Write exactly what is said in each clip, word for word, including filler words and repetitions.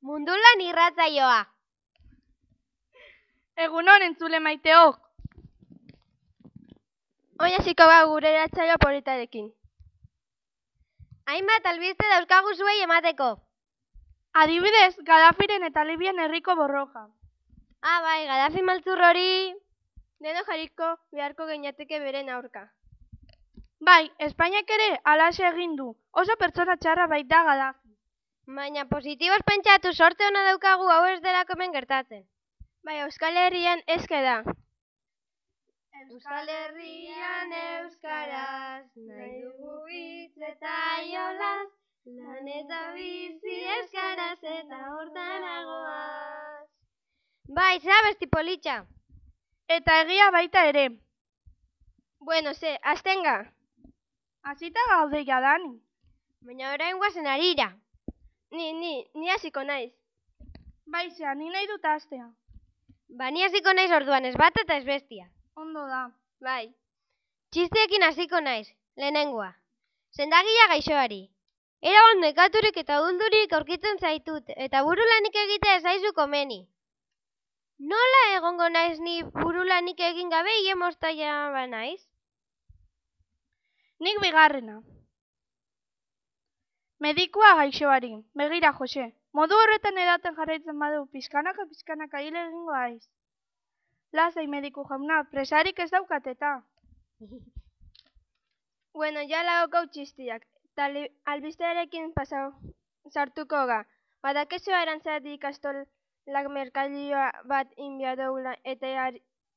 Mundulan irratsaioa. Egunon entzule maiteok. Oin hasiko ba gure irratsaio politarekin. Hainbat albiste dauzkagu zuei emateko. Adibidez, Gaddafiren eta Libian herriko borroka. Ah, bai, Gaddafi maltzur hori... Deno jarriko beharko geinateke beren aurka. Bai, Espainiak ere halaxe egin du. Oso pertsona txarra baita Gaddafi. Baina positiboz pentsatu sorte ona daukagu hau ez delako hemen gertatzen. Bai, Euskal Herrian ezke da. Euskal Herrian euskaraz, nahi dugu hitz eta jolaz, lan eta bizi euskaraz eta hortanagoaz. Bai, zea besti politxa. Eta egia baita ere. Bueno, ze, aztenga. Hasita gaude jadani. Baina orain guazen harira. Ni, ni, ni hasiko naiz. Bai, zea, ni nahi dut hastea. Ba, ni hasiko naiz orduan ez bat eta ez bestia. Ondo da. Bai. Txisteekin hasiko naiz, lehenengoa. Sendagia gaixoari. Eragon nekaturik eta uduldurik aurkitzen zaitut, eta burulanik egitea ez zaizu komeni. Nola egongo naiz ni burulanik egin gabe hile mostaia ba naiz? Nik bigarrena. Medikua gaixoari. Begira, Jose. Modu horretan edaten jarraitzen badu, pizkanaka pizkanaka hile egingo haiz. Lasai mediku jauna, presarik ez daukateta. Bueno, ja lagokau txistiak. Tali, albistearekin pasau sartuko ga. Badakezu arantzadi ikastolak merkalioa bat inbiadoula eta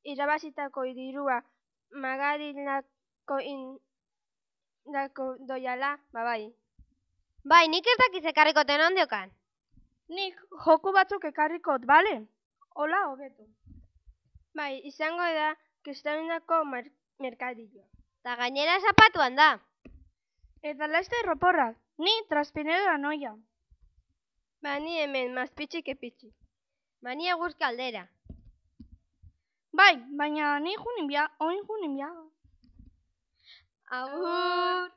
irabazitako dirua magarilako indako doiala, babai. Bai, nik ez dakiz ekarrikoten ondiokan. Nik joku batzuk ekarrikot, bale? Hola, hobeto. Bai, izango da kristaunako merkadilloa. Ta gainera zapatuan da. Eta laizte roporrak, ni traspinero noia. Ba, ni hemen, mazpitxik epitxik. Ba, ni eguzki aldera. Bai, baina ni junin bia, oin junin bia. Agur!